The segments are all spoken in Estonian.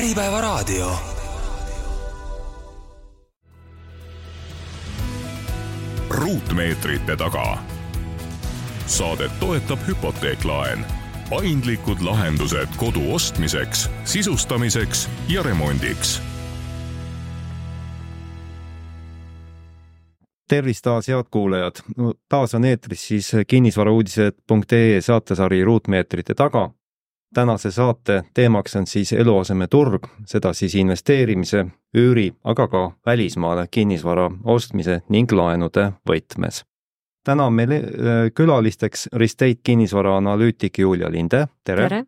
Äripäevaraadio. Ruutmeetrite taga. Saadet toetab Hypoteeklaen. Paindlikud lahendused kodu ostmiseks, sisustamiseks ja remondiks. Tervist taas, head kuulajad. Taas on eetris siis kinnisvarauudised.ee saatesari Ruutmeetrite taga. Tänase saate teemaks on siis eluasemeturg, seda siis investeerimise, üüri, aga ka välismaale kinnisvara ostmise ning laenude võtmes. Täna on meil külalisteks Restate kinnisvara analüütik Julia Linde, tere. Tere.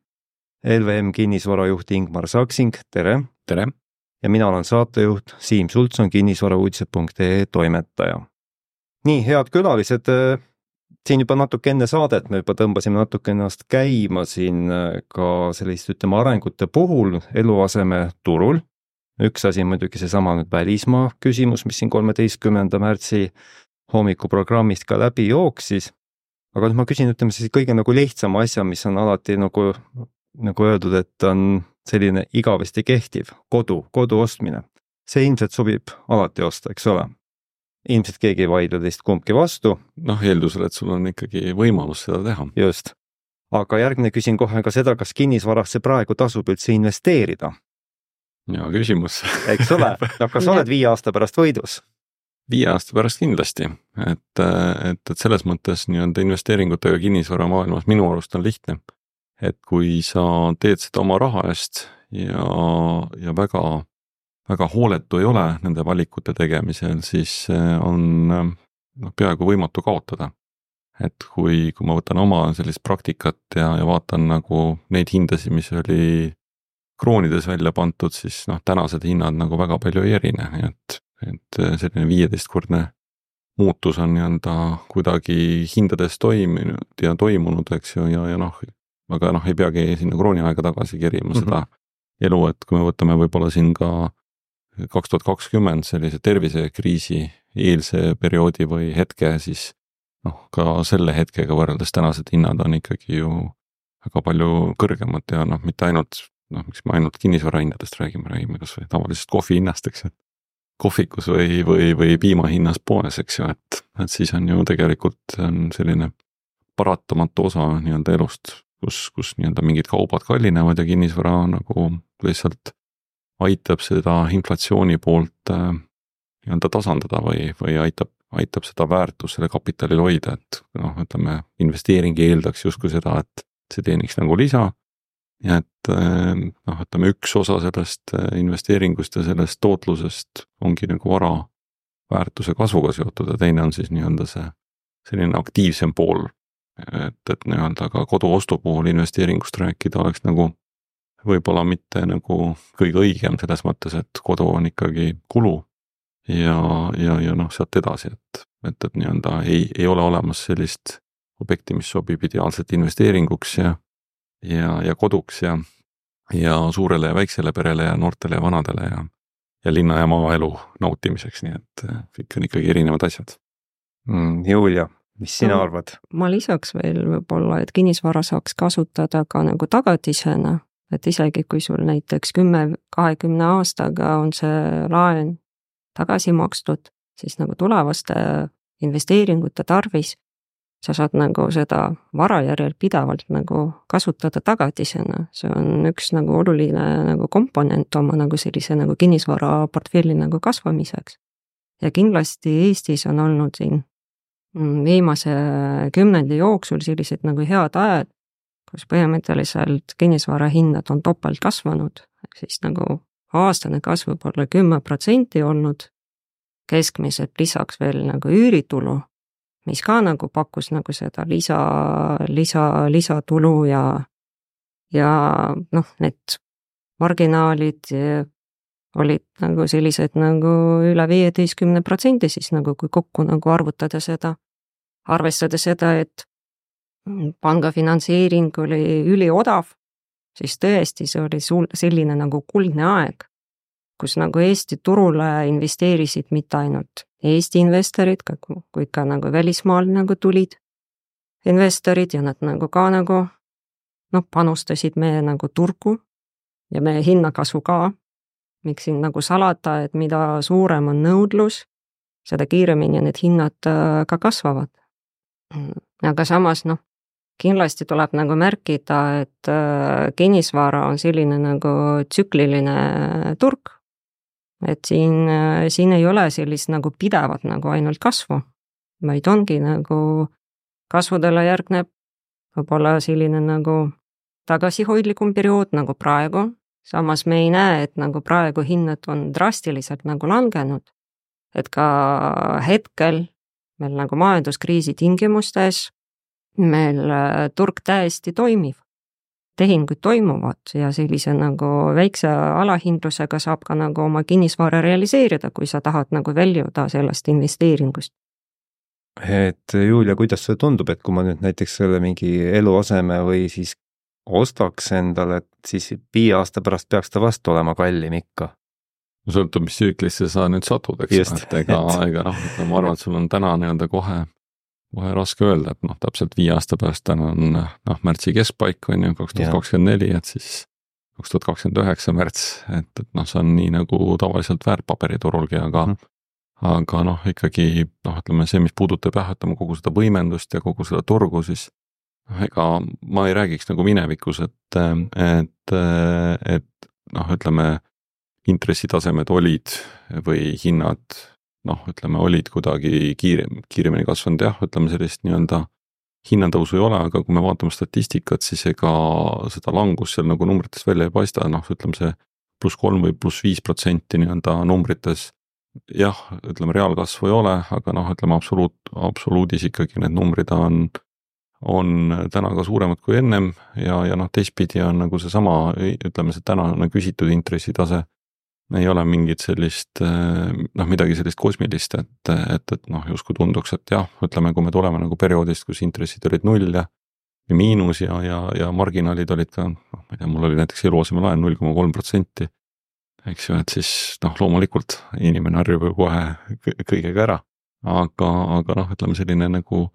LVM kinnisvarajuht Ingmar Saksing, tere. Tere. Ja mina olen saatejuht Siim Sultson, kinnisvarauudised.ee toimetaja. Nii, head külalised, siin juba natuke enne saadet me juba tõmbasime natuke ennast käima siin ka sellist, arengute puhul eluaseme turul. Üks asi muidugi seesama nüüd välismaa küsimus, mis siin 13. märtsi hommikuprogrammist ka läbi jooksis. Aga nüüd ma küsin, siis kõige lihtsama asja, mis on alati nagu öeldud, et on selline igavesti kehtiv kodu ostmine. See ilmselt sobib alati osta, eks ole? Ilmselt keegi ei vaidle teist kumbki vastu. Eeldusel, et sul on ikkagi võimalus seda teha. Just. Aga järgmine küsin kohe ka seda, kas kinnisvarasse praegu tasub üldse investeerida? Ja küsimus. Eks ole? Kas oled 5 aasta pärast võidus? 5 aasta pärast kindlasti. Et selles mõttes investeeringutega kinnisvara maailmas minu arust on lihtne. Et kui sa teed seda oma raha eest ja väga hooletu ei ole nende valikute tegemisel, siis on peaaegu võimatu kaotada. Et kui ma võtan oma sellist praktikat ja vaatan nagu neid hindasid, mis oli kroonides välja pantud, siis tänased hinnad nagu väga palju ei erine. Et selline 15-kordne muutus on kuidagi hindades toimunud, eks ju, aga ei peagi sinna krooniaega tagasi kerima seda elu, et kui me võtame võib-olla siin ka 2020 sellise tervisekriisi eelse perioodi või hetke, siis ka selle hetkega võrreldes tänased hinnad on ikkagi ju väga palju kõrgemad ja mitte ainult, miks me ainult kinnisvara hinnadest räägime kas või tavalisest kohvi hinnast, eks, et kohvikus või piima hinnas poes, eks ju, et siis on ju tegelikult selline paratamatu osa elust, kus mingid kaubad kallinevad ja kinnisvara nagu lihtsalt aitab seda inflatsiooni poolt tasandada või aitab seda väärtust selle kapitalil hoida, et investeering eeldaks justkui seda, et see teeniks nagu lisa ja et üks osa sellest investeeringust ja sellest tootlusest ongi nagu vara väärtuse kasvuga seotud ja teine on siis see selline aktiivsem pool, et ka kodu ostu puhul investeeringust rääkida oleks nagu võib-olla mitte nagu kõige õigem selles mõttes, et kodu on ikkagi kulu ja sealt edasi, et ei ole olemas sellist objekti, mis sobib ideaalselt investeeringuks ja koduks ja suurele ja väiksele perele ja noortele ja vanadele ja linna ja maaelu nautimiseks, nii et kõik on ikkagi erinevad asjad. Julia, mis sina arvad? Ma lisaks veel võib-olla, et kinnisvara saaks kasutada ka nagu tagatisena, et isegi kui sul näiteks 10-20 aastaga on see laen tagasi makstud, siis nagu tulevaste investeeringute tarvis sa saad nagu seda vara järel pidavalt nagu kasutada tagatisena. See on üks nagu oluline nagu komponent oma nagu sellise nagu kinnisvara portfelli nagu kasvamiseks. Ja kindlasti Eestis on olnud siin viimase 10 jooksul sellised nagu head ajad, kus põhimõtteliselt kinnisvara hinnad on topelt kasvanud, siis nagu aastane kasv võib olla 10% olnud, keskmiselt lisaks veel nagu üüritulu, mis ka nagu pakkus nagu seda lisatulu ja need marginaalid olid nagu sellised nagu üle 15%, siis nagu kui kokku nagu arvestada seda, et panga finantseering oli üliodav, siis tõesti see oli selline nagu kuldne aeg, kus nagu Eesti turule investeerisid mitte ainult Eesti investorid, kui ka nagu välismaal nagu tulid investorid ja nad nagu ka nagu panustasid meie nagu turgu ja meie hinnakasvu ka, miks siin nagu salata, et mida suurem on nõudlus, seda kiiremini need hinnad ka kasvavad. Aga samas kindlasti tuleb nagu märkida, et kinnisvara on selline nagu tsükliline turg, et siin ei ole sellist nagu pidevat nagu ainult kasvu, vaid ongi nagu kasvudele järgneb võib-olla selline nagu tagasihoidlikum periood nagu praegu, samas me ei näe, et nagu praegu hinnad on drastiliselt nagu langenud, et ka hetkel meil nagu majanduskriisi tingimustes meil turg täiesti toimiv, tehingud toimuvad ja sellise nagu väikse alahindlusega saab ka nagu oma kinnisvara realiseerida, kui sa tahad nagu väljuda sellest investeeringust. Et Julia, kuidas see tundub, et kui ma nüüd näiteks selle mingi eluaseme või siis ostaks endale, et siis 5 aasta pärast peaks ta vastu olema kallim ikka? Sõltub, mis tsüklisse sa nüüd satud, eks, et ega ma arvan, et sul on täna nii-öelda kohe raske öelda, et täpselt 5 aasta pärast täna on märtsi keskpaik, on ju, 2024, et siis 2029 märts, et see on nii nagu tavaliselt väärtpaberiturulgi, aga ikkagi ütleme see, mis puudutab kogu seda võimendust ja kogu seda turgu, siis ega ma ei räägiks nagu minevikus, et ütleme intressitasemed olid või hinnad olid kuidagi kiiremini kasvanud, ütleme sellist nii-öelda hinnatõusu ei ole, aga kui me vaatame statistikat, siis ega seda langus seal nagu numbrites välja ei paista, ütleme see +3 või +5% nii-öelda numbrites, ütleme reaalkasvu ei ole, aga ütleme absoluudis ikkagi need numbrid on täna ka suuremad kui ennem ja teistpidi on nagu seesama, ütleme see tänane küsitud intressitase ei ole mingit sellist, midagi sellist kosmilist, et justkui tunduks, et ütleme, kui me tuleme nagu perioodist, kus intressid olid 0 ja miinus ja marginaalid olid ka, ma ei tea, mul oli näiteks eluasemelaen 0,3%, eks ju, et siis loomulikult inimene harjub ju kohe kõigega ära, aga ütleme selline nagu,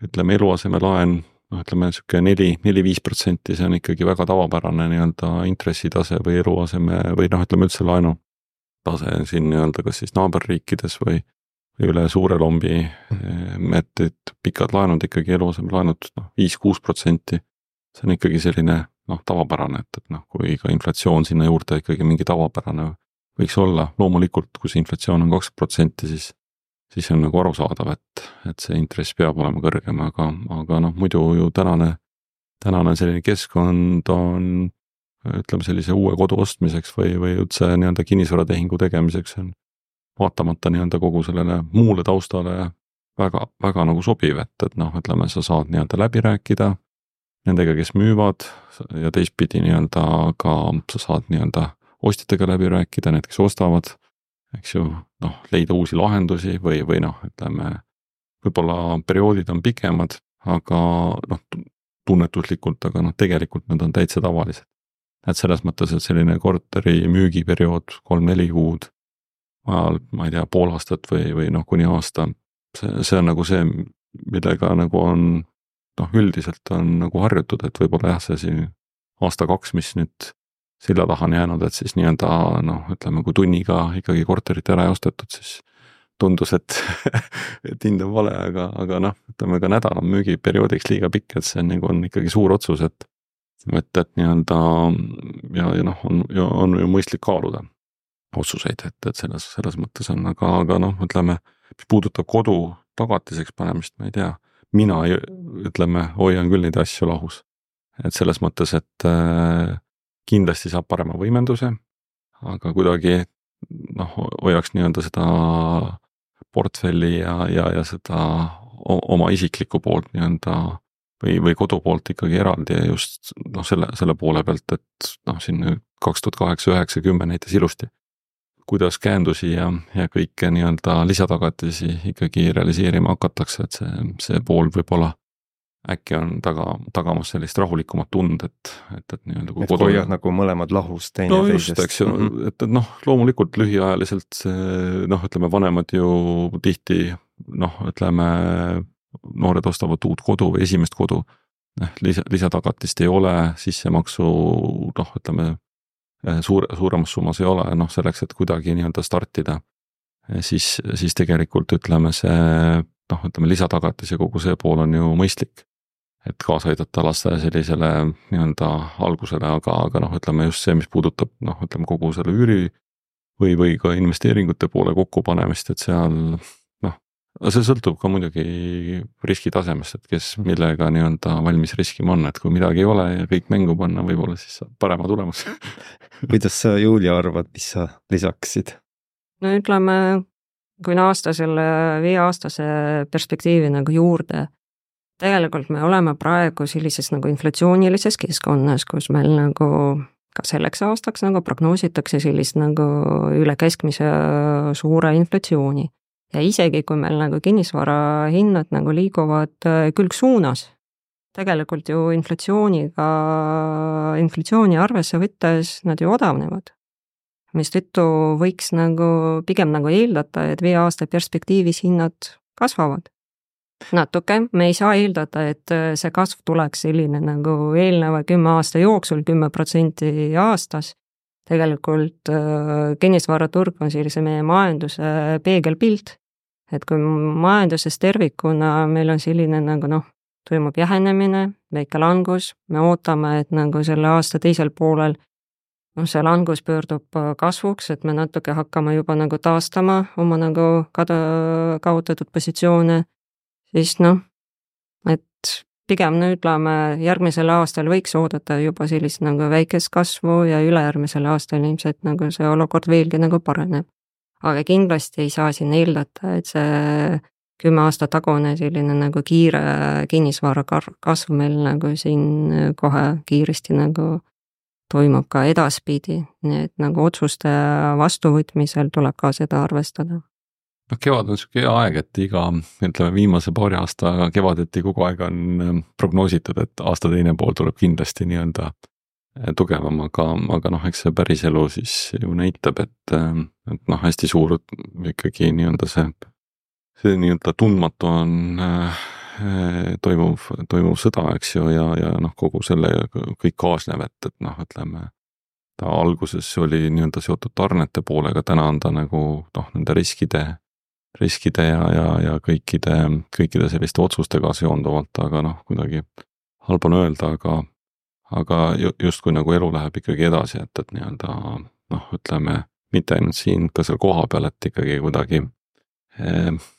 ütleme eluasemelaen, ütleme siuke 4-5%, see on ikkagi väga tavapärane nii-öelda intressitase või eluaseme või ütleme üldse laenu tase siin nii-öelda kas siis naaberriikides või üle suure lombi, et pikad laenud ikkagi eluasemelaenud 5-6%, see on ikkagi selline tavapärane, et kui ka inflatsioon sinna juurde ikkagi mingi tavapärane võiks olla, loomulikult kui see inflatsioon on 20%, siis on nagu arusaadav, et see intress peab olema kõrgem, aga muidu ju tänane selline keskkond on, ütleme sellise uue kodu ostmiseks või üldse nii-öelda kinnisvaratehingu tegemiseks on vaatamata nii-öelda kogu sellele muule taustale väga, väga nagu sobiv, et ütleme, sa saad nii-öelda läbi rääkida nendega, kes müüvad ja teistpidi nii-öelda ka sa saad nii-öelda ostjatega läbi rääkida, need, kes ostavad, eks ju, leida uusi lahendusi või ütleme, võib-olla perioodid on pikemad, aga tunnetuslikult, aga tegelikult need on täitsa tavalised. Et selles mõttes, et selline korteri müügiperiood 3-4 kuud, ma ei tea, pool aastat või kuni aasta, see on nagu see, millega nagu on, üldiselt on nagu harjutud, et võib-olla see siin aasta-2, mis nüüd silla taha on jäänud, et siis nii-öelda ütleme, kui tunniga ikkagi korterit ära ei ostetud, siis tundus, et hind on vale, aga ütleme ka nädal on müügiperioodiks liiga pikk, et see nagu on ikkagi suur otsus, et nii-öelda ja on ju mõistlik kaaluda otsuseid, et selles mõttes on, aga ütleme, mis puudutab kodu tagatiseks panemist, ma ei tea, mina ütleme, hoian küll neid asju lahus, et selles mõttes, et kindlasti saab parema võimenduse, aga kuidagi hoiaks nii-öelda seda portfelli ja seda oma isiklikku poolt nii-öelda või kodu poolt ikkagi eraldi ja just selle poole pealt, et siin 2008, 9, 10 näitas ilusti, kuidas käendusi ja kõike nii-öelda lisatagatisi ikkagi realiseerima hakatakse, et see pool võib-olla äkki on tagamas sellist rahulikumat tund, et nii-öelda kui kodu hoiad nagu mõlemad lahus teine teisest. Just, eks ju, et loomulikult lühiajaliselt ütleme, vanemad ju tihti ütleme, noored ostavad uut kodu või esimest kodu, lisatagatist ei ole, sissemaksu ütleme, suuremas summas ei ole, noh selleks, et kuidagi nii-öelda startida, siis tegelikult ütleme see, noh ütleme lisatagatis ja kogu see pool on ju mõistlik, et kaasa aidata laste sellisele nii-öelda algusele, aga noh, ütleme just see, mis puudutab noh, ütleme kogu selle üüri või ka investeeringute poole kokkupanemist, et seal noh, see sõltub ka muidugi riskitasemest, et kes millega nii-öelda valmis riskima on, et kui midagi ei ole ja kõik mängu panna, võib-olla siis saab parema tulemus. Kuidas sa, Julia, arvad, mis sa lisaksid? No ütleme, kui aasta selle 5-aastase perspektiivi nagu juurde, tegelikult me oleme praegu sellises nagu inflatsioonilises keskkonnas, kus meil nagu ka selleks aastaks nagu prognoositakse sellist nagu üle keskmise suure inflatsiooni. Ja isegi kui meil nagu kinnisvara hinnad nagu liiguvad külgsuunas, tegelikult ju inflatsiooni arvesse võttes nad ju odavnevad. Mistõttu võiks nagu pigem nagu eeldata, et 5 aasta perspektiivis hinnad kasvavad. Natuke, me ei saa eeldada, et see kasv tuleks selline nagu eelneva 10 aasta jooksul 10% aastas. Tegelikult kinnisvaraturg on sellise meie majanduse peegelpilt, et kui majanduses tervikuna meil on selline nagu noh, toimub jähenemine, väike langus, me ootame, et nagu selle aasta teisel poolel see langus pöördub kasvuks, et me natuke hakkame juba nagu taastama oma nagu kaotatud positsioone, siis noh, et pigem ütleme, järgmisel aastal võiks oodata juba sellist nagu väikest kasvu ja ülejärgmisel aastal ilmselt nagu see olukord veelgi nagu paraneb. Aga kindlasti ei saa siin eeldata, et see 10 aasta tagune selline nagu kiire kinnisvara kasv meil nagu siin kohe kiiresti nagu toimub ka edaspidi, nii et nagu otsuste vastuvõtmisel tuleb ka seda arvestada. No kevad on siuke hea aeg, et iga, ütleme viimase paari aasta kevadeti kogu aeg on prognoositud, et aasta teine pool tuleb kindlasti nii-öelda tugevam, aga noh, eks see päris elu siis ju näitab, et noh, hästi suur ikkagi nii-öelda see nii-öelda tundmatu on toimuv sõda, eks ju, ja noh, kogu selle kõik kaasnev, et noh, ütleme, ta alguses oli nii-öelda seotud tarnete poolega, täna on ta nagu noh, nende riskide ja kõikide selliste otsustega seonduvalt, aga noh, kuidagi halb on öelda, aga justkui nagu elu läheb ikkagi edasi, et nii-öelda noh, ütleme, mitte ainult siin ka seal koha peal, et ikkagi kuidagi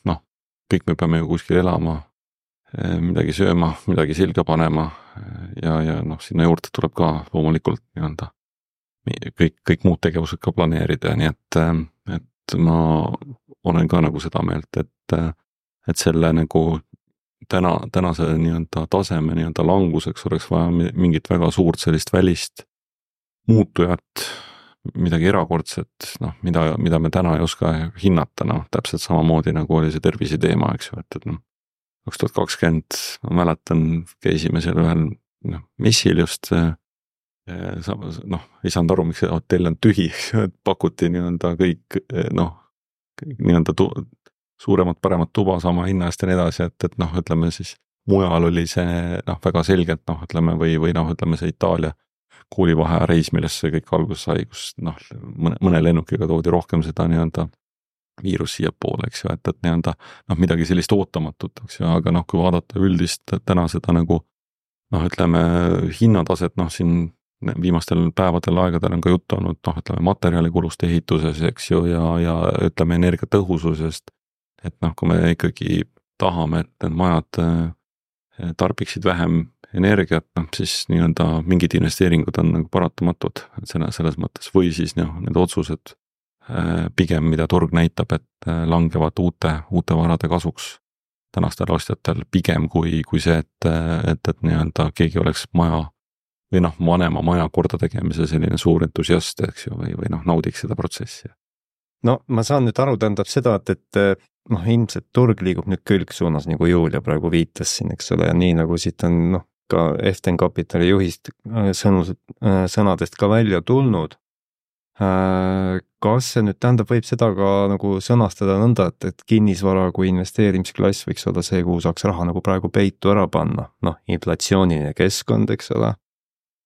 noh, kõik me peame ju kuskil elama, midagi sööma, midagi silga panema ja noh, sinna juurde tuleb ka loomulikult nii-öelda kõik muud tegevused ka planeerida, nii et ma olen ka nagu seda meelt, et selle nagu tänase nii-öelda taseme nii-öelda languseks oleks vaja mingit väga suurt sellist välist muutujat, midagi erakordset, noh, mida me täna ei oska hinnata, noh, täpselt samamoodi nagu oli see tervise teema, eks ju, et noh, 2020, ma mäletan, käisime seal ühel messil just, noh, ei saanud aru, miks see hotell on tühi, et pakuti nii-öelda kõik, noh, nii-öelda suuremat, paremat tuba sama hinna eest ja nii edasi, et noh, ütleme siis mujal oli see noh, väga selgelt noh, ütleme või noh, ütleme see Itaalia koolivaheaja reis, millest see kõik alguses sai, kus noh, mõne lennukiga toodi rohkem seda nii-öelda viirus siia poole, eks ju, et nii-öelda noh, midagi sellist ootamatut, eks ju, aga noh, kui vaadata üldist täna seda nagu noh, ütleme hinnataset, noh siin viimastel päevadel aegadel on ka juttu olnud, noh, ütleme materjalikulust ehituses, eks ju, ja ütleme energiatõhususest, et noh, kui me ikkagi tahame, et need majad tarbiksid vähem energiat, noh, siis nii-öelda mingid investeeringud on nagu paratamatud selles mõttes või siis noh, need otsused pigem, mida turg näitab, et langevad uute varade kasuks tänastel ostjatel pigem kui see, et nii-öelda keegi oleks maja või noh, vanema maja korda tegemise selline suur entusiast, eks ju, või noh, naudiks seda protsessi. No ma saan nüüd aru, tähendab seda, et noh, ilmselt turg liigub nüüd külgsuunas, nagu Julia praegu viitas siin, eks ole, ja nii nagu siit on noh, ka Eften Kapitali juhist sõnadest ka välja tulnud. Kas see nüüd tähendab, võib seda ka nagu sõnastada nõnda, et kinnisvara kui investeerimisklass võiks olla see, kuhu saaks raha nagu praegu peitu ära panna, noh, inflatsiooniline keskkond, eks ole,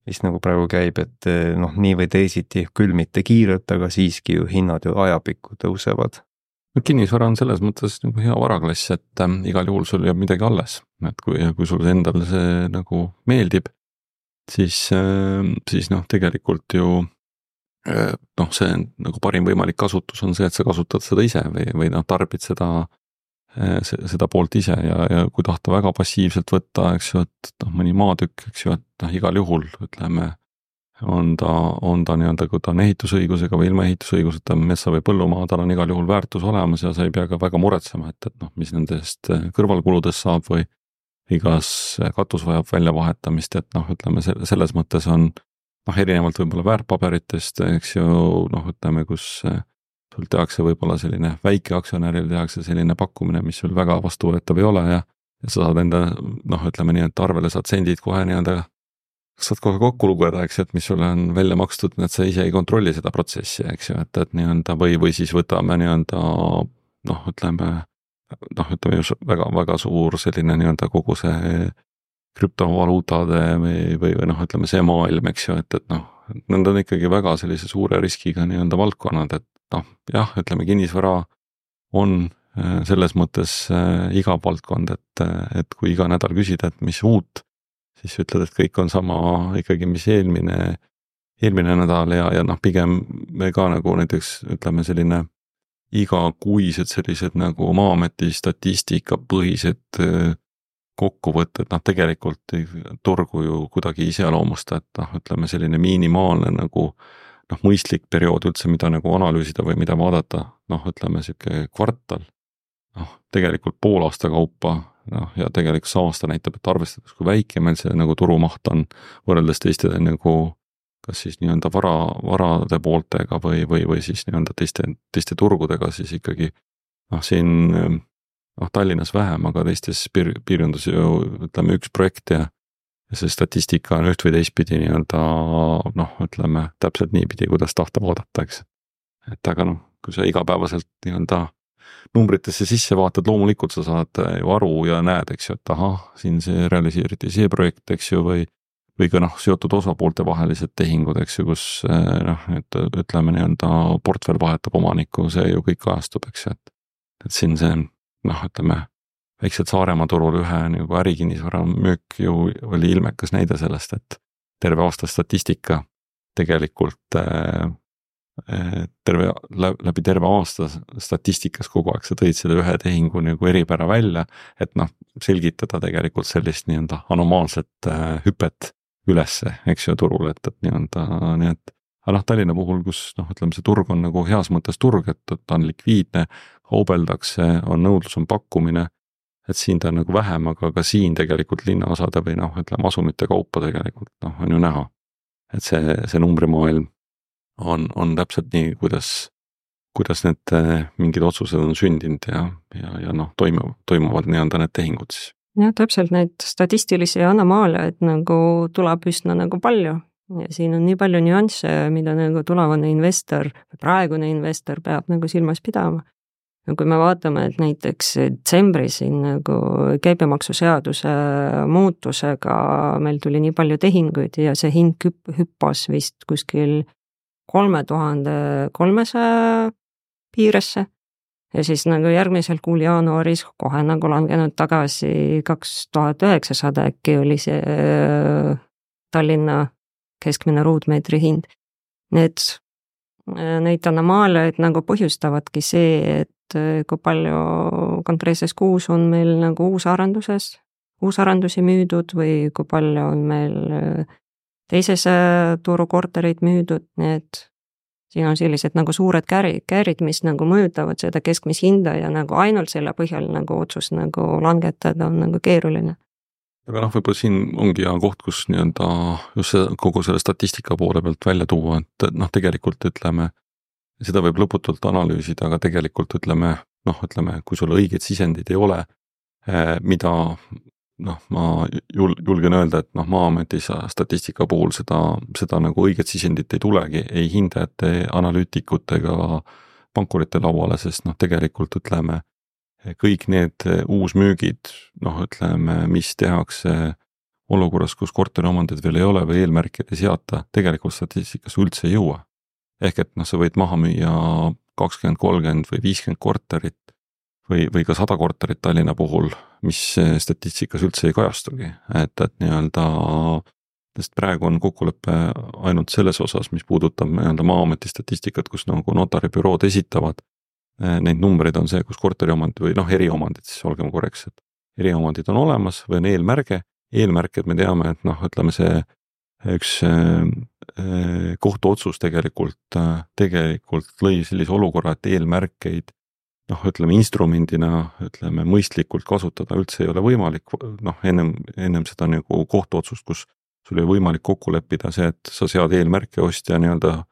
mis nagu praegu käib, et noh, nii või teisiti, küll mitte kiirelt, aga siiski ju hinnad ju ajapikku tõusevad. Kinnisvara on selles mõttes nagu hea varaklass, et igal juhul sul jääb midagi alles, et kui sul endal see nagu meeldib, siis noh, tegelikult ju noh, see nagu parim võimalik kasutus on see, et sa kasutad seda ise või noh, tarbid seda poolt ise ja kui tahta väga passiivselt võtta, eks ju, et noh, mõni maatükk, eks ju, et noh, igal juhul ütleme, on ta nii-öelda, kui ta on ehitusõigusega või ilma ehitusõiguseta metsa või põllumaa, tal on igal juhul väärtus olemas ja sa ei pea ka väga muretsema, et noh, mis nendest kõrvalkuludest saab või igas katus vajab väljavahetamist, et noh, ütleme selles mõttes on noh, erinevalt võib-olla väärtpaberitest, eks ju, noh, ütleme, kus sul tehakse võib-olla selline väikeaktsionäril tehakse selline pakkumine, mis sul väga vastuvõetav ei ole ja sa saad enda noh, ütleme nii, et arvele saad sendid kohe nii-öelda saad kohe kokku lugeda, eks ju, et mis sulle on välja makstud, et sa ise ei kontrolli seda protsessi, eks ju, et nii-öelda või siis võtame nii-öelda noh, ütleme väga suur selline nii-öelda kogu see krüptovaluutade või noh, ütleme see maailm, eks ju, et noh, need on ikkagi väga sellise suure riskiga nii-öelda valdkonnad, et noh, jah, ütleme kinnisvara on selles mõttes igav valdkond, et kui iga nädal küsida, et mis uut, siis ütled, et kõik on sama ikkagi, mis eelmine nädal ja noh, pigem me ka nagu näiteks ütleme selline igakuised sellised nagu Maa-ameti statistikapõhised kokkuvõtted, noh tegelikult turgu ju kuidagi iseloomusta, et noh, ütleme selline minimaalne nagu noh, mõistlik periood üldse, mida nagu analüüsida või mida vaadata, noh, ütleme sihuke kvartal, noh, tegelikult pool aasta kaupa, noh, ja tegelikult see aasta näitab, et arvestades, kui väike meil see nagu turumaht on võrreldes teiste nagu kas siis nii-öelda varade pooltega või siis nii-öelda teiste turgudega, siis ikkagi noh, siin noh, Tallinnas vähem, aga teistes piirkondades ju ütleme üks projekt ja see statistika on üht või teistpidi nii-öelda noh, ütleme täpselt niipidi, kuidas tahta vaadata, eks. Et aga noh, kui sa igapäevaselt nii-öelda numbritesse sisse vaatad, loomulikult sa saad ju aru ja näed, eks ju, et ahah, siin see realiseeriti see projekt, eks ju, või ka noh, seotud osapoolte vahelised tehingud, eks ju, kus noh, et ütleme nii-öelda portfell vahetab omanikku, see ju kõik kajastub, eks ju, et siin see noh, ütleme väikselt Saaremaa turul ühe nagu ärikinnisvara müük ju oli ilmekas näide sellest, et terve aasta statistika tegelikult läbi terve aasta statistikas kogu aeg sa tõid selle ühe tehingu nagu eripära välja, et noh, selgitada tegelikult sellist nii-öelda anomaalset hüpet ülesse, eks ju, turul, et nii-öelda nii, et aga noh, Tallinna puhul, kus noh, ütleme see turg on nagu heas mõttes turg, et ta on likviidne, kaubeldakse, on nõudlus, on pakkumine, et siin ta on nagu vähem, aga ka siin tegelikult linnaosade või noh, ütleme asumite kaupa tegelikult noh, on ju näha, et see numbrimaailm on täpselt nii, kuidas need mingid otsused on sündinud ja noh, toimuvad nii-öelda need tehingud siis. jah, täpselt neid statistilisi anomaaliaid nagu tuleb üsna nagu palju ja siin on nii palju nüansse, mida nagu tulevane investor, praegune investor peab nagu silmas pidama. Ja kui me vaatame, et näiteks detsembris siin nagu käibemaksuseaduse muutusega meil tuli nii palju tehinguid ja see hind hüppas vist kuskil 3300 piiresse ja siis nagu järgmisel kuul jaanuaris kohe nagu langenud tagasi 2900 äkki oli see Tallinna keskmine ruutmeetri hind. Neid anomaaliaid nagu põhjustavadki see, et kui palju konkreetses kuus on meil nagu uusarendusi müüdud või kui palju on meil teises turukorterid müüdud, need siin on sellised nagu suured käärid, mis nagu mõjutavad seda keskmist hinda ja nagu ainult selle põhjal nagu otsust nagu langetada on nagu keeruline. Aga noh, võib-olla siin ongi hea koht, kus nii-öelda just kogu selle statistika poole pealt välja tuua, et noh, tegelikult ütleme, seda võib lõputult analüüsida, aga tegelikult ütleme, kui sul õigeid sisendid ei ole, mida noh, ma julgen öelda, et noh, Maa-ameti statistika puhul seda nagu õiget sisendit ei tulegi, ei hindajate, analüütikute ega pankurite lauale, sest noh, tegelikult ütleme, kõik need uusmüügid, noh, ütleme, mis tehakse olukorras, kus korteriomandid veel ei ole või eelmärkid ei seata, tegelikult statistikas üldse ei jõua. Ehk et sa võid maha müüa 20, 30 või 50 korterit või ka 100 korterit Tallinna puhul, mis statistikas üldse ei kajastugi, et nii-öelda, sest praegu on kokkulepe ainult selles osas, mis puudutab nii-öelda Maa-ameti statistikat, kus nagu notaribürood esitavad neid numbreid, on see, kus korteriomandid või eriomandid, siis olgem korrektsed, eriomandid on olemas või on eelmärge, eelmärked me teame, et ütleme see üks kohtuotsus tegelikult lõi sellise olukorra, et eelmärkeid ütleme instrumendina, ütleme mõistlikult kasutada üldse ei ole võimalik, ennem seda nagu kohtuotsust, kus sul ei võimalik kokku leppida see, et sa sead eelmärke ostja nii-öelda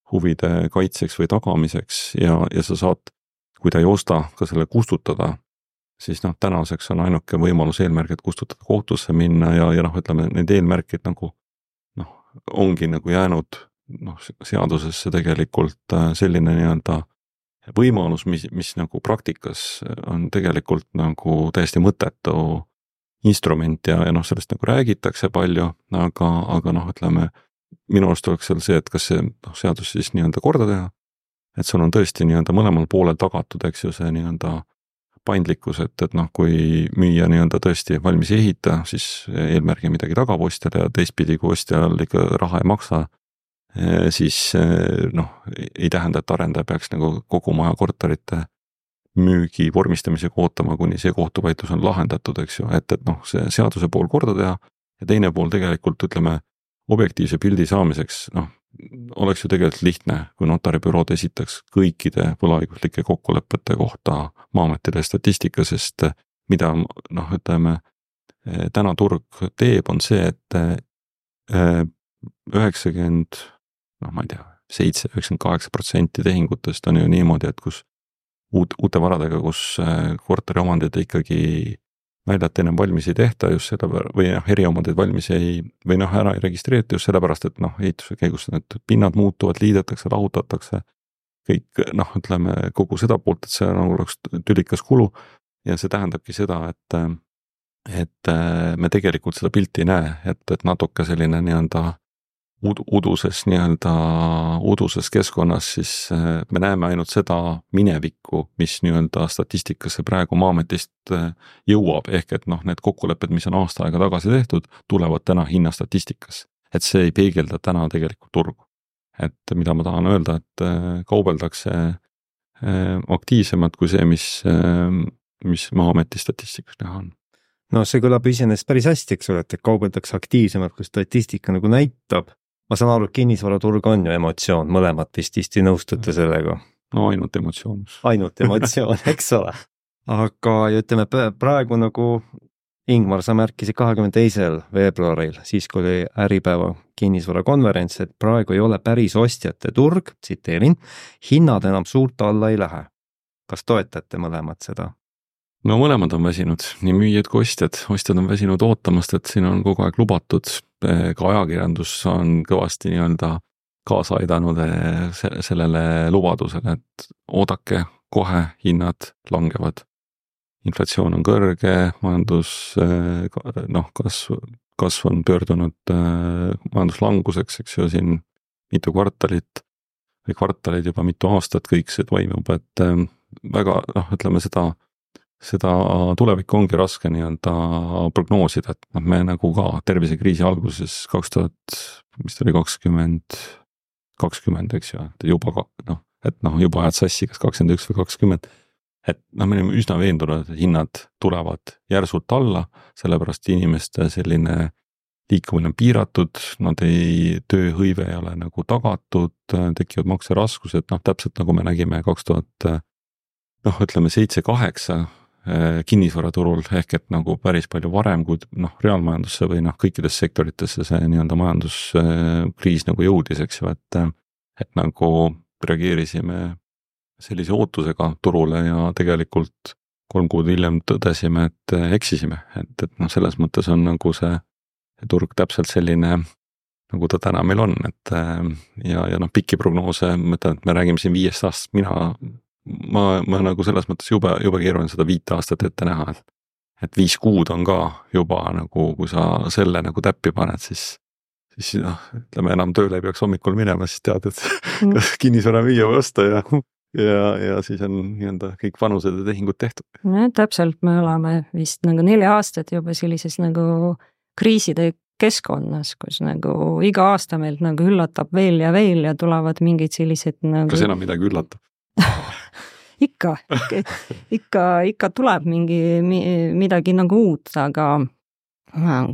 huvide kaitseks või tagamiseks ja sa saad, kui ta ei osta, ka selle kustutada, siis tänaseks on ainuke võimalus eelmärgid kustutada kohtusse minna ja ütleme, need eelmärkid nagu ongi nagu jäänud seadusesse tegelikult selline nii-öelda võimalus, mis nagu praktikas on tegelikult nagu täiesti mõttetu instrument ja sellest nagu räägitakse palju, aga ütleme, minu arust oleks seal see, et kas see seadus siis nii-öelda korda teha, et sul on tõesti nii-öelda mõlemal poolel tagatud, eks ju, see nii-öelda paindlikkus, et kui müüa nii-öelda tõesti valmis ei ehita, siis eelmärgi midagi tagab ostjale ja teistpidi, kui ostjal ikka raha ei maksa, siis ei tähenda, et arendaja peaks nagu kogu maja korterite müügi vormistamisega ootama, kuni see kohtuvaidlus on lahendatud, eks ju, et see seaduse pool korda teha ja teine pool tegelikult ütleme objektiivse pildi saamiseks, oleks ju tegelikult lihtne, kui notaribürood esitaks kõikide võlaõiguslike kokkulepete kohta Maa-ametile statistika, sest mida ütleme, täna turg teeb, on see, et 90, ma ei tea, 7-98% tehingutest on ju niimoodi, et kus uute varadega, kus korteriomandid ikkagi väljat ennem valmis ei tehta just selle või eriomandid valmis ei, või ära ei registreerita just sellepärast, et ehituse käigus need pinnad muutuvad, liidetakse, lahutatakse, kõik ütleme kogu seda poolt, et see oleks tülikas kulu ja see tähendabki seda, et me tegelikult seda pilti ei näe, et natuke selline nii-öelda uduses keskkonnas, siis me näeme ainult seda minevikku, mis nii-öelda statistikasse praegu Maa-ametist jõuab, ehk et need kokkulepped, mis on aasta aega tagasi tehtud, tulevad täna hinnastatistikas. Et see ei peegelda täna tegelikult turgu. Et mida ma tahan öelda, et kaubeldakse aktiivsemalt kui see, mis Maa-ameti statistikas näha on. No see kõlab iseenesest päris hästi, eks ole, et kaubeldakse aktiivsemalt, kui statistika nagu näitab. Ma saan aru, et kinnisvaraturg on ju emotsioon, mõlemad vist nõustute sellega. No ainult emotsioon. Ainult emotsioon, eks ole. Aga ütleme praegu nagu Ingmar, sa märkisid 22. veebruaril, siis kui oli Äripäeva kinnisvarakonverents, et praegu ei ole päris ostjate turg, tsiteerin, hinnad enam suurt alla ei lähe. Kas toetate mõlemad seda? No mõlemad on väsinud, nii müüjad kui ostjad. Ostjad on väsinud ootamast, et siin on kogu aeg lubatud. Ka ajakirjandus on kõvasti nii-öelda kaasa aidanud sellele lubadusele, et oodake, kohe hinnad langevad. Inflatsioon on kõrge, majandus kasv on pöördunud majanduslanguseks, eks ju, siin mitu kvartalit või kvartalid juba mitu aastat kõik see toimub, et väga, ütleme seda tulevikku ongi raske nii-öelda prognoosida, et me nagu ka tervisekriisi alguses 2020, eks ju, et juba juba ajad sassi kas 21 või 20, et me oleme üsna veendunud, et hinnad tulevad järsult alla, sellepärast inimeste selline liikumine on piiratud, tööhõive ei ole nagu tagatud, tekivad makseraskused, täpselt nagu me nägime 7-8 kinnisvaraturul, ehk et nagu päris palju varem, kui reaalmajandusse või kõikidesse sektoritesse see nii-öelda majanduskriis nagu jõudis, eks ju, et nagu reageerisime sellise ootusega turule ja tegelikult 3 kuud hiljem tõdesime, et eksisime, et selles mõttes on nagu see turg täpselt selline, nagu ta täna meil on, et ja pikki prognoose, mõtlen, et me räägime siin 5 aastast, ma nagu selles mõttes jube keeruline seda 5 aastat ette näha, et 5 kuud on ka juba nagu, kui sa selle nagu täppi paned, siis ütleme enam tööle ei peaks hommikul minema, siis tead, et kas kinnisvara müüa või osta ja siis on nii-öelda kõik vanused ja tehingud tehtud. Täpselt, me oleme vist nagu 4 aastat juba sellises nagu kriiside keskkonnas, kus nagu iga aasta meilt nagu üllatab veel ja tulevad mingid sellised nagu... Kas enam midagi üllatab? ikka tuleb midagi nagu uut, aga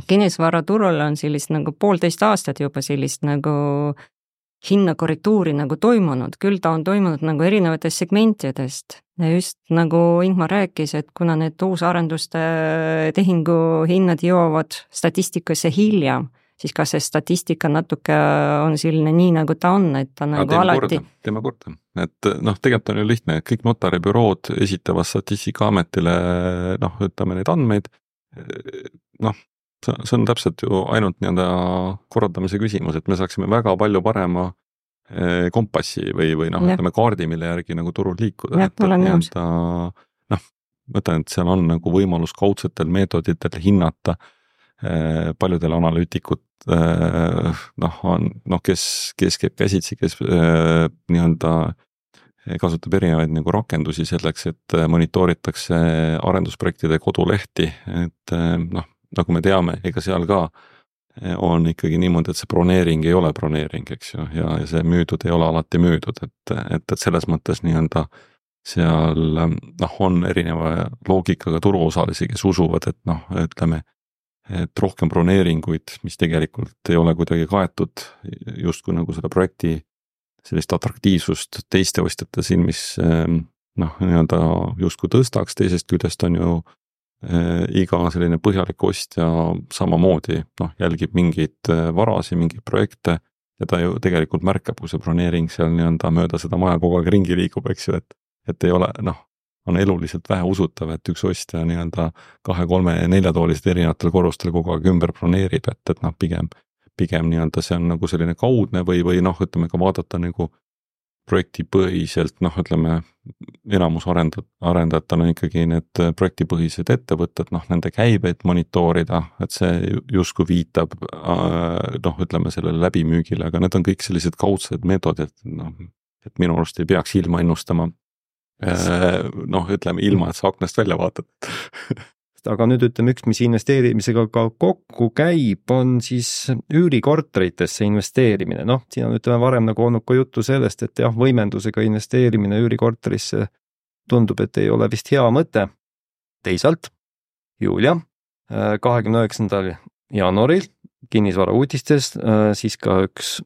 kinnisvaraturul on sellist nagu 1,5 aastat juba sellist nagu hinnakorrektuuri nagu toimunud, küll ta on toimunud nagu erinevatest segmentidest ja just nagu Ingmar rääkis, et kuna need uusarenduste tehingu hinnad jõuavad statistikasse hiljem, siis ka see statistika natuke on selline nii, nagu ta on, et ta nagu alati... Teeme korda, et tegelikult on ju lihtne, kõik notaribürood esitavad Statistikaametile ütleme neid andmeid, see on täpselt ju ainult nii-öelda korraldamise küsimus, et me saaksime väga palju parema kompassi või ütleme kaardi, mille järgi nagu turul liikuda. Mõtlen, et seal on nagu võimalus kaudsetel meetoditel hinnata paljudel analüütikud, kes käib käsitsi, kes nii-öelda kasutab erinevaid nagu rakendusi selleks, et monitooritakse arendusprojektide kodulehti, et nagu me teame, ega seal ka on ikkagi niimoodi, et see broneering ei ole broneering, eks ju, ja see müüdud ei ole alati müüdud, et selles mõttes nii-öelda seal on erineva loogikaga turuosalisi, kes usuvad, et ütleme, et rohkem broneeringuid, mis tegelikult ei ole kuidagi kaetud justkui nagu selle projekti sellist atraktiivsust teiste ostjate silmis nii-öelda justkui tõstaks, teisest küljest on ju iga selline põhjalik ostja samamoodi jälgib mingeid varasi, mingeid projekte ja ta ju tegelikult märkab, kui see broneering seal nii-öelda mööda seda maja kogu aeg ringi liigub, eks ju, et ei ole, on eluliselt vähe usutav, et üks ostja nii-öelda 2, 3, 4 toolised erinevatel korrustel kogu aeg ümber broneerib, et pigem nii-öelda see on nagu selline kaudne või ütleme ka vaadata nagu projektipõhiselt, ütleme, enamus arendajatel on ikkagi need projektipõhised ettevõtted, nende käibeid monitoorida, et see justkui viitab, ütleme sellele läbimüügile, aga need on kõik sellised kaudsed meetodid, et minu arust ei peaks ilma ennustama, ütleme ilma, et sa aknast välja vaatad. Aga nüüd ütleme, üks, mis investeerimisega ka kokku käib, on siis üürikorteritesse investeerimine. Siin on ütleme varem nagu olnud ka juttu sellest, et jah, võimendusega investeerimine üürikorterisse tundub, et ei ole vist hea mõte. Teisalt, Julia, 29. jaanuaril kinnisvara uudistes siis ka üks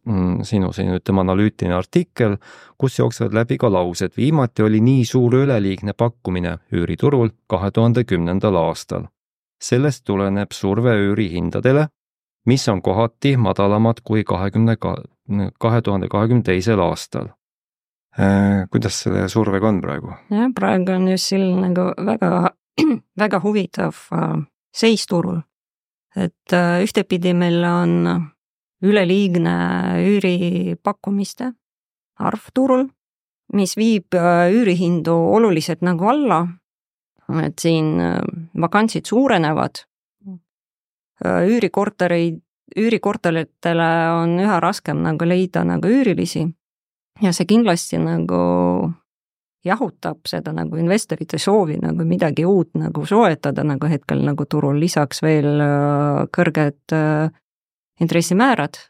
sinu ütleme analüütiline artikkel, kus jooksevad läbi ka laused. Viimati oli nii suur üleliigne pakkumine üüriturul 2010. aastal. Sellest tuleneb surve üürihindadele, mis on kohati madalamad kui 2022. aastal. Kuidas selle survega on praegu? Ja, praegu on just selline nagu väga huvitav seis turul. Et ühtepidi meil on üleliigne üüripakkumiste arv turul, mis viib üürihindu oluliselt nagu alla, et siin vakantsid suurenevad, üürikorteritele on üha raskem nagu leida nagu üürilisi ja see kindlasti nagu jahutab seda nagu investorite soovi nagu midagi uut nagu soetada nagu hetkel nagu turul, lisaks veel kõrged intressimäärad.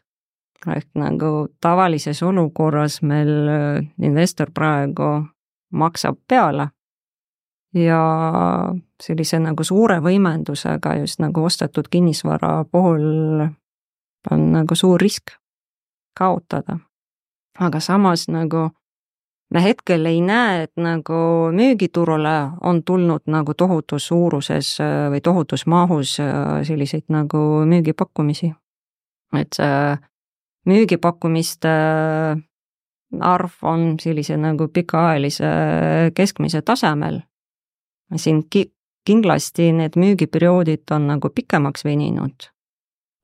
Ehk nagu tavalises olukorras meil investor praegu maksab peale ja sellise nagu suure võimendusega just nagu ostetud kinnisvara puhul on nagu suur risk kaotada. Aga samas nagu me hetkel ei näe, et nagu müügiturule on tulnud nagu tohutus suuruses või tohutus mahus selliseid nagu müügipakkumisi. Et see müügipakkumiste arv on sellise nagu pikaajalise keskmise tasemel. Siin kindlasti need müügiperioodid on nagu pikemaks veninud,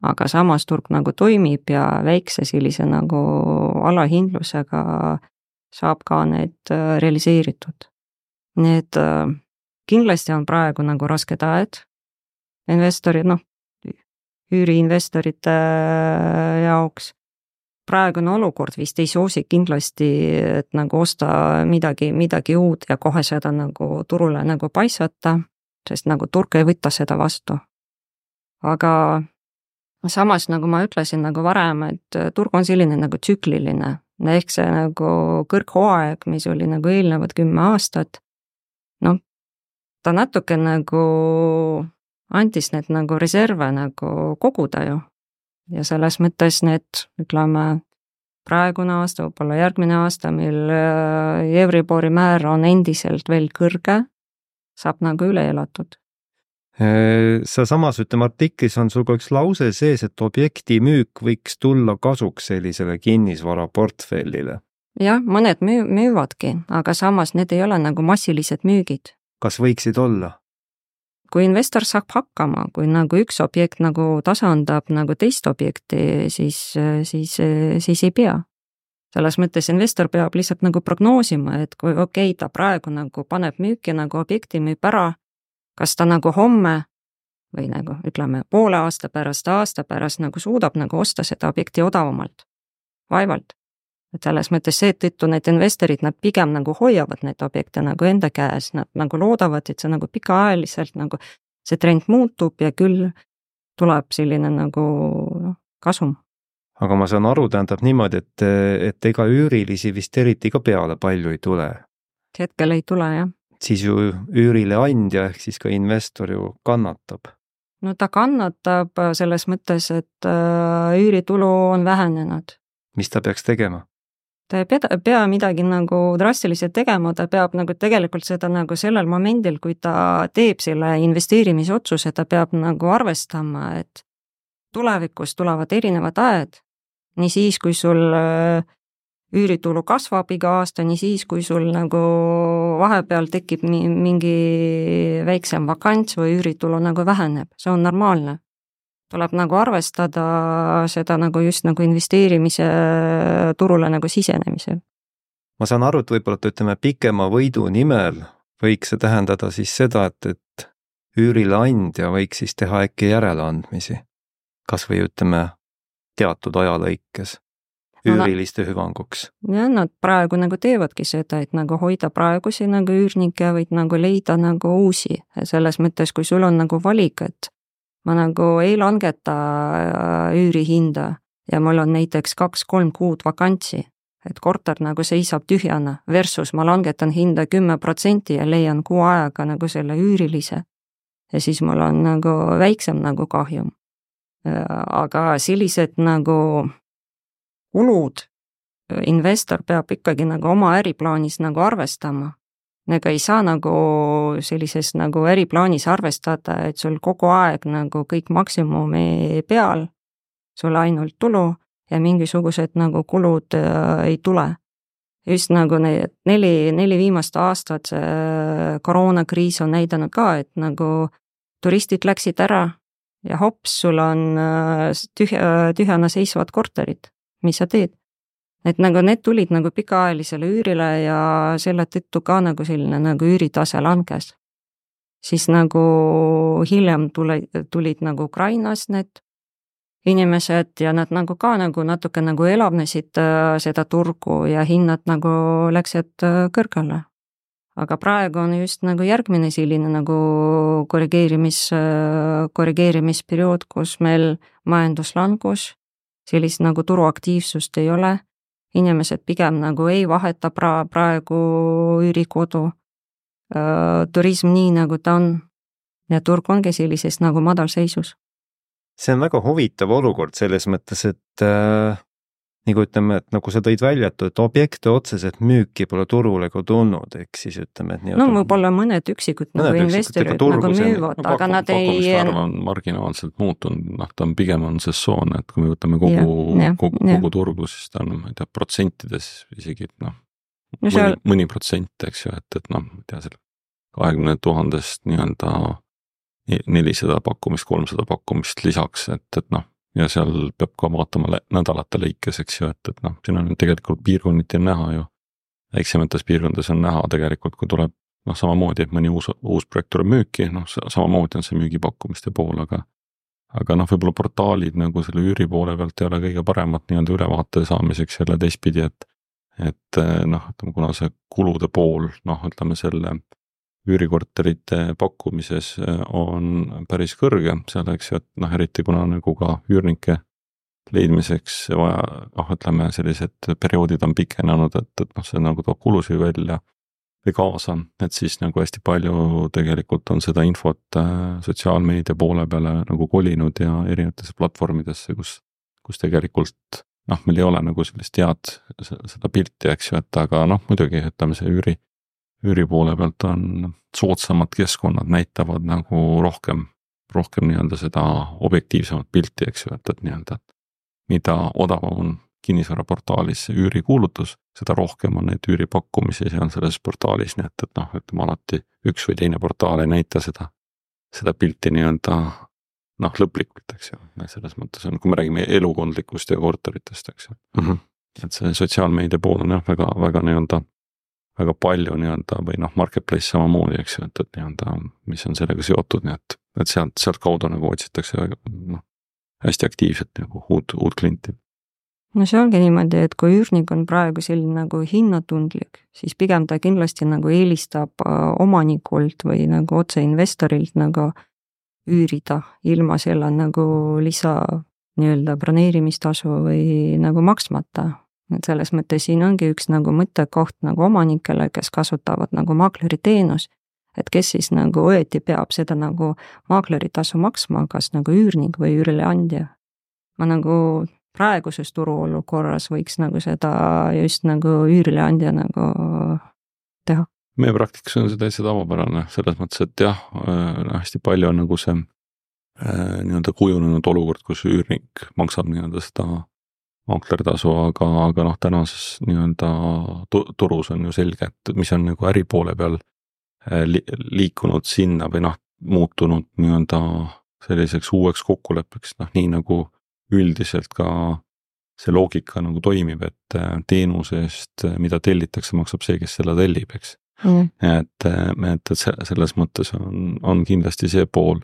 aga samas turg nagu toimib ja väikse sellise nagu alahindlusega saab ka need realiseeritud. Need kindlasti on praegu nagu rasked ajad investorid, üüriinvestorite jaoks. Praegune olukord vist ei soosi kindlasti, et nagu osta midagi uut ja kohe seda nagu turule nagu paisata, sest nagu turg ei võta seda vastu. Aga samas, nagu ma ütlesin nagu varem, et turg on selline nagu tsükliline, ehk see nagu kõrghooaeg, mis oli nagu eelnevad 10 aastat, ta natuke nagu andis need nagu reserve nagu koguda ju. Ja selles mõttes need, ütleme, praegune aasta, võib-olla järgmine aasta, mil Euribori määr on endiselt veel kõrge, saab nagu üle elatud. Sa samas, ütleme, artiklis on sul ka üks lause sees, et objekti müük võiks tulla kasuks sellisele kinnisvaraportfellile. Jah, mõned müüvadki, aga samas need ei ole nagu massilised müügid. Kas võiksid olla? Kui investor saab hakkama, kui nagu üks objekt nagu tasandab nagu teist objekti, siis ei pea. Selles mõttes investor peab lihtsalt nagu prognoosima, et kui ta praegu nagu paneb müüki nagu objekti müüb ära, kas ta nagu homme või nagu ütleme poole aasta pärast nagu suudab nagu osta seda objekti odavamalt, vaevalt. Et selles mõttes seetõttu need investorid, nad pigem nagu hoiavad need objekte nagu enda käes, nad nagu loodavad, et see nagu pikaajaliselt nagu see trend muutub ja küll tuleb selline nagu kasum. Aga ma saan aru, tähendab niimoodi, et ega üürilisi vist eriti ka peale palju ei tule. Hetkel ei tule, jah. Siis ju üürile andja ehk siis ka investor ju kannatab. No ta kannatab selles mõttes, et üüritulu on vähenenud. Mis ta peaks tegema? Ta ei pea midagi nagu drastiliselt tegema, ta peab nagu tegelikult seda nagu sellel momendil, kui ta teeb selle investeerimisotsuse, ta peab nagu arvestama, et tulevikus tulevad erinevad ajad, nii siis, kui sul üüritulu kasvab iga aasta, nii siis, kui sul nagu vahepeal tekib mingi väiksem vakants või üüritulu nagu väheneb, see on normaalne. Tuleb nagu arvestada seda nagu just nagu investeerimise turule nagu sisenemisel. Ma saan aru, et võib-olla ütleme pikema võidu nimel võiks see tähendada siis seda, et üürile andja võiks siis teha äkki järeleandmisi. Kas või ütleme teatud ajalõikes üüriliste hüvanguks. Ja nad praegu nagu teevadki seda, et nagu hoida praegusi nagu üürnikke, võid nagu leida nagu uusi. Selles mõttes, kui sul on nagu valik, et ma nagu ei langeta üürihinda ja mul on näiteks 2-3 kuud vakantsi, et korter nagu seisab tühjana versus ma langetan hinda 10% ja leian kuu ajaga nagu selle üürilise ja siis mul on nagu väiksem nagu kahjum. Aga sellised nagu kulud investor peab ikkagi nagu oma äriplaanis nagu arvestama. Ega ei saa nagu sellises nagu äriplaanis arvestada, et sul kogu aeg nagu kõik maksimumi peal, sul ainult tulu ja mingisugused nagu kulud ei tule. Just nagu need 4 viimast aastat see koroonakriis on näidanud ka, et nagu turistid läksid ära ja hops, sul on tühjana seisvad korterid, mis sa teed? Et nagu need tulid nagu pikaajalisele üürile ja selle tõttu ka nagu selline nagu üüritase langes. Siis nagu hiljem tulid nagu Ukrainast need inimesed ja nad nagu ka nagu natuke nagu elavnesid seda turgu ja hinnad nagu läksid kõrgele. Aga praegu on just nagu järgmine selline nagu korrigeerimisperiood, kus meil majanduslangus, sellist nagu turuaktiivsust ei ole. Inimesed pigem nagu ei vaheta praegu üürikodu, turism nii nagu ta on ja turg ongi sellises nagu madalseisus. See on väga huvitav olukord selles mõttes, et nagu ütleme, et nagu sa tõid välja, et objekte otseselt müüki pole turule ka tulnud, ehk siis ütleme, et no võib-olla mõned üksikud nagu investorid nagu müüvad, aga nad ei... on marginaalselt muutunud, ta on pigem on sessoon, et kui me võtame kogu turgu, siis ta on, ma ei tea, protsentides isegi, mõni protsent, eks ju, et ma ei tea, selle 20 000-st nii-öelda 400 pakkumist, 300 pakkumist lisaks, et ja seal peab ka vaatama nädalate lõikes, eks ju, et siin on tegelikult piirkonniti näha ju, väiksemates piirkondades on näha tegelikult, kui tuleb noh, samamoodi, et mõni uus projekt tuleb müüki, noh, samamoodi on see müügipakkumiste pool, aga noh, võib-olla portaalid nagu selle üüri poole pealt ei ole kõige paremat nii-öelda ülevaate saamiseks jälle teistpidi, et noh, ütleme, kuna see kulude pool, noh, ütleme selle üürikorterite pakkumises on päris kõrge, seal eks ju, et noh, eriti kuna nagu ka üürnike leidmiseks vaja, noh, ütleme sellised perioodid on pikenenud, et noh, see nagu toob kulusid välja või kaasa, et siis nagu hästi palju tegelikult on seda infot sotsiaalmeedia poole peale nagu kolinud ja erinevatesse platvormidesse, kus tegelikult noh, meil ei ole nagu sellist head seda pilti, eks ju, et aga noh, muidugi ütleme see üüri poole pealt on soodsamad keskkonnad näitavad nagu rohkem nii-öelda seda objektiivsemat pilti, eks ju, et nii-öelda mida odavam on kinnisvaraportaalis üürikuulutus, seda rohkem on neid üüripakkumisi seal selles portaalis, nii et noh, ütleme alati üks või teine portaal ei näita seda pilti nii-öelda noh, lõplikult, eks ju, selles mõttes on, kui me räägime elukondlikust ja korteritest, eks ju. Et see sotsiaalmeedia pool on jah, väga nii-öelda, väga palju nii-öelda või noh, marketplace samamoodi, eks ju, et nii-öelda, mis on sellega seotud, nii et sealt kaudu nagu otsitakse noh, hästi aktiivselt nagu uut klienti. No see ongi niimoodi, et kui üürnik on praegu selline nagu hinnatundlik, siis pigem ta kindlasti nagu eelistab omanikult või nagu otse investorilt nagu üürida ilma selle nagu lisa nii-öelda broneerimistasu või nagu maksmata. Et selles mõttes siin ongi üks nagu mõttekoht nagu omanikele, kes kasutavad nagu maakleri teenus, et kes siis nagu õieti peab seda nagu maakleri tasu maksma, kas nagu üürnik või üürileandja. Ma nagu praeguses turuolukorras võiks nagu seda just nagu üürileandja nagu teha. Meie praktikas on see täitsa tavapärane, selles mõttes, et jah, hästi palju on nagu see nii-öelda kujunenud olukord, kus üürnik maksab nii-öelda seda maakleritasu, aga noh, tänases nii-öelda turus on ju selge, et mis on nagu äripoole peal liikunud sinna või noh, muutunud nii-öelda selliseks uueks kokkuleppeks, noh nii nagu üldiselt ka see loogika nagu toimib, et teenuse eest, mida tellitakse, maksab see, kes selle tellib, eks. Et selles mõttes on kindlasti see pool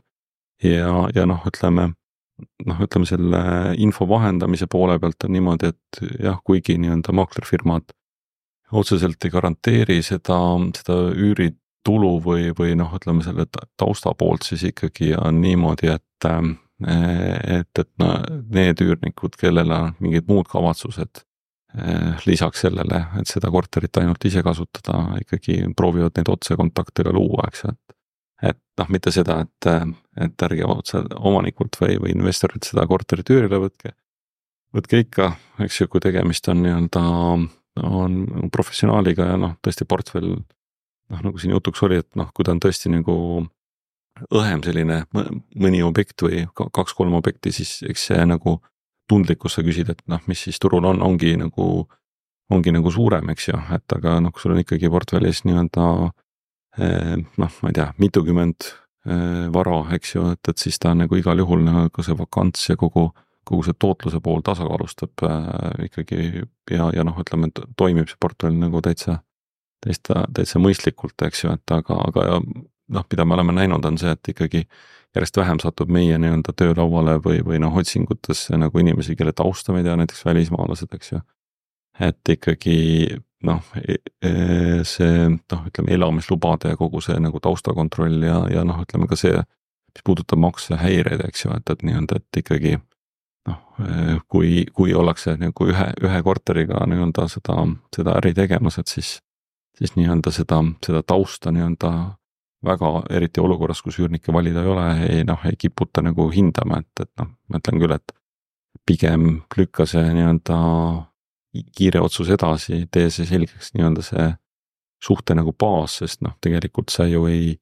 ja noh, ütleme selle info vahendamise poole pealt on niimoodi, et jah, kuigi nii-öelda maaklerfirmad otseselt ei garanteeri seda üüritulu või noh, ütleme selle tausta poolt, siis ikkagi on niimoodi, et need üürnikud, kellel on mingid muud kavatsused lisaks sellele, et seda korterit ainult ise kasutada, ikkagi proovivad neid otsekontaktega luua, eks, et noh, mitte seda, et ärge otse omanikult või investorilt seda korterit üürile võtke ikka, eks ju, kui tegemist on nii-öelda on professionaaliga ja noh, tõesti portfell, noh nagu siin jutuks oli, et noh, kui ta on tõesti nagu õhem selline mõni objekt või 2-3 objekti, siis eks see nagu tundlikkus sa küsid, et noh, mis siis turul ongi nagu suurem, eks ju, et aga noh, kui sul on ikkagi portfellis nii-öelda noh, ma ei tea, mitukümmend vara, eks ju, et siis ta nagu igal juhul nagu see vakants ja kogu see tootluse pool tasakaalustab ikkagi ja noh, ütleme, et toimib see portfell nagu täitsa mõistlikult, eks ju, et aga noh, mida me oleme näinud, on see, et ikkagi järjest vähem satub meie nii-öelda töölauale või noh, otsingutesse nagu inimesi, kelle tausta me ei tea, näiteks välismaalased, eks ju. Et ikkagi noh, see noh, ütleme elamislubade ja kogu see nagu taustakontroll ja noh, ütleme ka see, mis puudutab maksehäireid, eks ju, et nii-öelda, et ikkagi noh, kui ollakse nagu ühe korteriga nii-öelda seda äri tegemas, et siis nii-öelda seda tausta nii-öelda väga eriti olukorras, kus üürnikke valida ei ole, ei kiputa nagu hindama, et noh, ma ütlen küll, et pigem lükka see nii-öelda kiire otsus edasi, tee see selgeks nii-öelda see suhte nagu baas, sest noh, tegelikult sa ju ei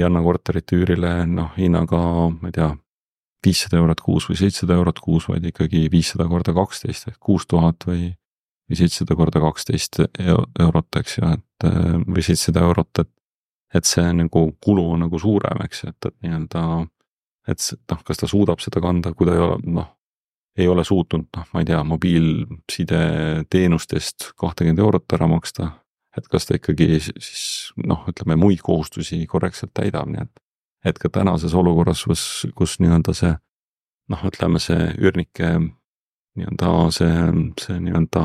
anna korterit üürile noh, hinnaga, ma ei tea, 500 eurot kuus või 700 eurot kuus, vaid ikkagi 500 korda 12 ehk 6000 või 700 korda 12 eurot, eks ju, et või 700 eurot, et see nagu kulu on nagu suurem, eks, et nii-öelda, et noh, kas ta suudab seda kanda, kui ta ei ole suutnud, noh, ma ei tea, mobiilside teenustest 20 eurot ära maksta, et kas ta ikkagi siis noh, ütleme muid kohustusi korrektselt täidab, nii et ka tänases olukorras, kus nii-öelda see noh, ütleme see üürnike nii-öelda see nii-öelda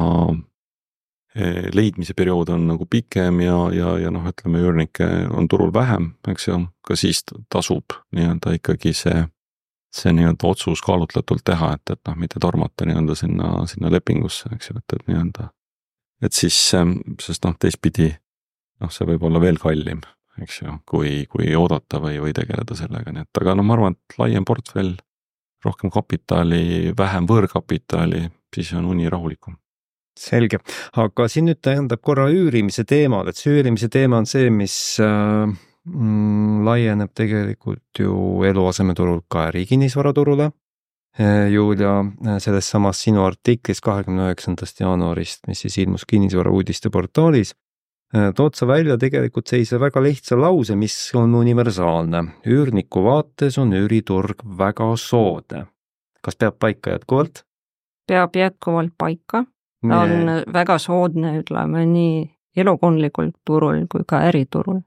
leidmise periood on nagu pikem ja noh, ütleme üürnikke on turul vähem, eks ju, ka siis tasub nii-öelda ikkagi see nii-öelda otsus kaalutletult teha, et noh, mitte tormata nii-öelda sinna lepingusse, eks ju, et nii-öelda, et siis, sest noh, teistpidi noh, see võib olla veel kallim, eks ju, kui oodata või tegeleda sellega, nii et aga no ma arvan, et laiem portfell, rohkem kapitali, vähem võõrkapitali, siis on uni rahulikum. Selge, aga siin nüüd tähendab korra üürimise teemal, et see üürimise teema on see, mis laieneb tegelikult ju eluasemeturul ka ärikinnisvaraturule. Julia, selles samas sinu artiklis 29. jaanuarist, mis siis ilmus kinnisvara uudiste portaalis, tood sa välja tegelikult sellise väga lihtsa lause, mis on universaalne. Üürniku vaates on üüriturg väga soodne. Kas peab paika jätkuvalt? Peab jätkuvalt paika. Ta on väga soodne, ütleme nii elukondlikult turul kui ka äriturul.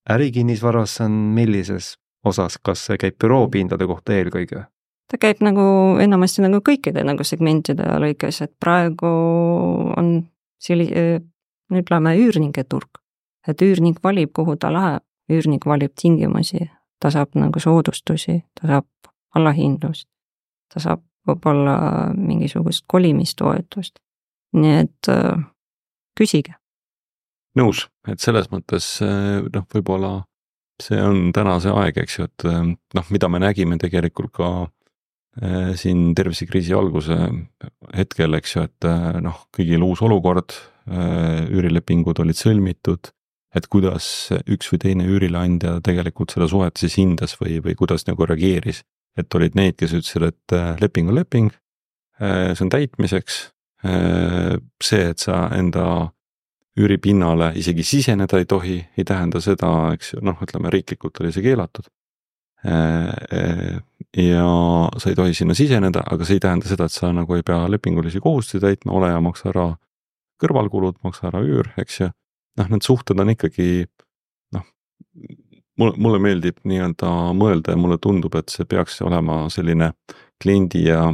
Ärikinnisvaras on millises osas, kas see käib büroopindade kohta eelkõige? Ta käib nagu enamasti nagu kõikide nagu segmentide lõikes, et praegu on ütleme üürnike turg, et üürnik valib, kuhu ta läheb, üürnik valib tingimusi, ta saab nagu soodustusi, ta saab allahindlust, ta saab võib-olla mingisugust kolimistoetust. Nii et küsige. Nõus, et selles mõttes noh, võib-olla see on täna see aeg, eks ju, et noh, mida me nägime tegelikult ka siin tervisekriisi alguse hetkel, eks ju, et noh, kõigil uus olukord, üürilepingud olid sõlmitud, et kuidas üks või teine üürileandja tegelikult selle suhet siis hindas või kuidas nagu reageeris, et olid need, kes ütlesid, et leping on leping, see on täitmiseks, see, et sa enda üüripinnale isegi siseneda ei tohi, ei tähenda seda, eks ju, noh, ütleme riiklikult oli see keelatud. Ja sa ei tohi sinna siseneda, aga see ei tähenda seda, et sa nagu ei pea lepingulisi kohustusi täitma, ole ja maksa ära kõrvalkulud, maksa ära üür, eks ju. Noh, need suhted on ikkagi, noh, mulle meeldib nii-öelda mõelda ja mulle tundub, et see peaks olema selline kliendi ja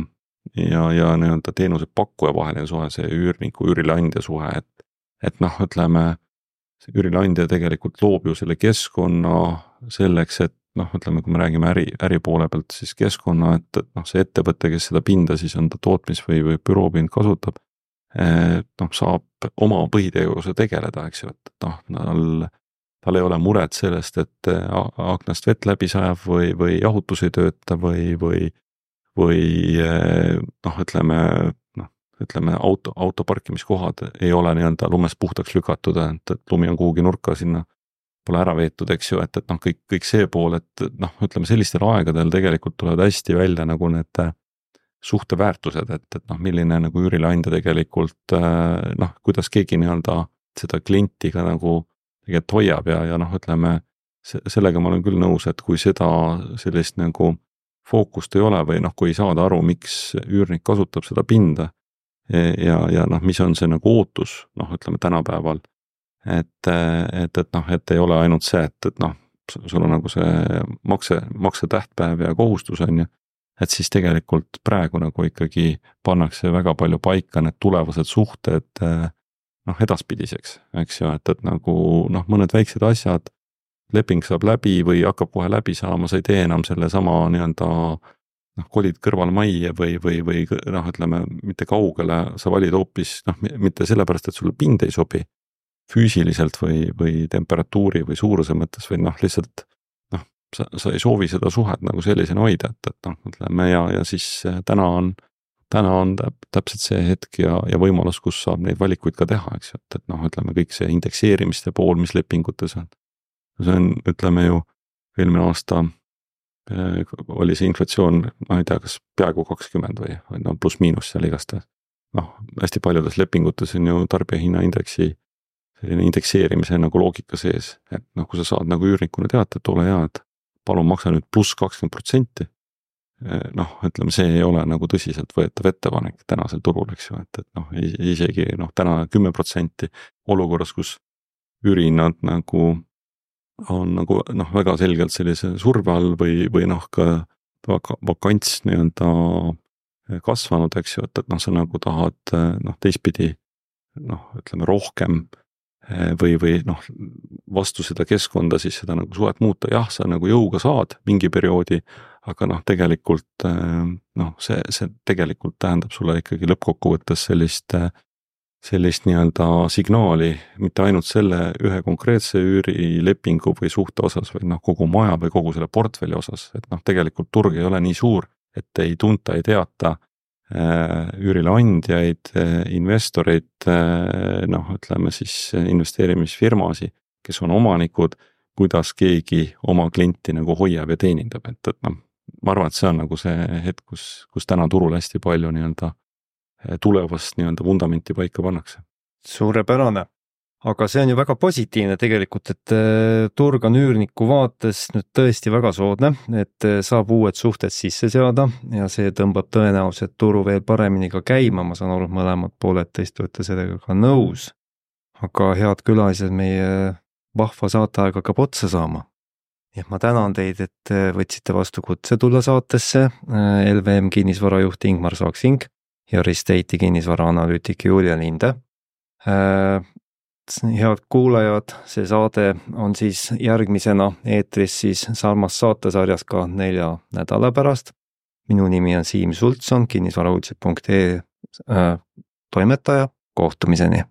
nii-öelda teenuse pakkuja vaheline suhe, see üürniku, üürileandja suhe, et noh, ütleme, see üürileandja tegelikult loob ju selle keskkonna selleks, et noh, ütleme, kui me räägime äri poole pealt, siis keskkonna, et noh, see ettevõte, kes seda pinda siis on ta tootmis- või büroopind kasutab, noh, saab oma põhitegevuse tegeleda, eks ju, et noh, tal ei ole muret sellest, et aknast vett läbi sajab või jahutus ei tööta või noh, ütleme auto parkimiskohad ei ole nii-öelda lumest puhtaks lükatud, et lumi on kuhugi nurka sinna pole ära veetud, eks ju, et noh, kõik see pool, et noh, ütleme sellistel aegadel tegelikult tulevad hästi välja nagu need suhteväärtused, et noh, milline nagu üürileandja tegelikult noh, kuidas keegi nii-öelda seda klienti ka nagu tegelikult hoiab ja noh, ütleme sellega ma olen küll nõus, et kui seda sellist nagu fookust ei ole või noh, kui ei saada aru, miks üürnik kasutab seda pinda ja noh, mis on see nagu ootus, noh, ütleme tänapäeval, et noh, et ei ole ainult see, et noh, sul on nagu see maksetähtpäev ja kohustus on ju, et siis tegelikult praegu nagu ikkagi pannakse väga palju paika need tulevased suhted noh, edaspidiseks, eks ju, et nagu noh, mõned väiksed asjad, leping saab läbi või hakkab kohe läbi saama, sa ei tee enam selle sama nii-öelda noh, kolid kõrval majja või noh, ütleme mitte kaugele, sa valid hoopis noh, mitte sellepärast, et sulle pind ei sobi füüsiliselt või temperatuuri või suuruse mõttes või noh, lihtsalt noh, sa ei soovi seda suhet nagu sellisena hoida, et noh, ütleme ja siis täna on täpselt see hetk ja võimalus, kus saab neid valikuid ka teha, eks ju, et noh, ütleme kõik see indekseerimiste pool, mis lepingutes on. See on, ütleme ju, eelmine aasta oli see inflatsioon, ma ei tea, kas peaaegu 20 või no pluss-miinus seal igastahes. Noh, hästi paljudes lepingutes on ju tarbijahinnaindeksi selline indekseerimise nagu loogika sees, et noh, kui sa saad nagu üürnikuna teada, et ole hea, et palun maksa nüüd pluss 20%, noh, ütleme, see ei ole nagu tõsiselt võetav ettepanek tänasel turul, eks ju, et noh, isegi noh, täna 10% olukorras, kus ürinad nagu on nagu noh, väga selgelt sellise surve all või noh, ka vakants nii-öelda kasvanud, eks ju, et noh, sa nagu tahad noh, teistpidi noh, ütleme rohkem või noh, vastu seda keskkonda siis seda nagu suhet muuta, jah, sa nagu jõuga saad mingi perioodi, aga noh, tegelikult noh, see tegelikult tähendab sulle ikkagi lõppkokkuvõttes sellist nii-öelda signaali, mitte ainult selle ühe konkreetse üürilepingu või suhte osas, vaid noh, kogu maja või kogu selle portfelli osas, et noh, tegelikult turg ei ole nii suur, et ei tunta, ei teata üürile andjaid, investoreid, noh, ütleme siis investeerimisfirmasi, kes on omanikud, kuidas keegi oma klienti nagu hoiab ja teenindab, et noh, ma arvan, et see on nagu see hetk, kus täna turul hästi palju nii-öelda tulevast nii-öelda vundamenti paika pannakse. Suurepärane. Aga see on ju väga positiivne tegelikult, et turg on üürniku vaates nüüd tõesti väga soodne, et saab uued suhted sisse seada ja see tõmbab tõenäoliselt turu veel paremini ka käima, ma saan aru, et mõlemad pooled tõesti olete sellega ka nõus. Aga head külalised, meie vahva saateaeg hakkab otsa saama. Ja ma tänan teid, et võtsite vastu kutse tulla saatesse, LVM kinnisvarajuht Ingmar Saksing ja Risteiti kinnisvaraanalüütik Julia Linde. Head kuulajad, see saade on siis järgmisena eetris siis sarmas saatesarjas ka 4 nädala pärast. Minu nimi on Siim Sultson, kinnisvarauudised.ee toimetaja. Kohtumiseni!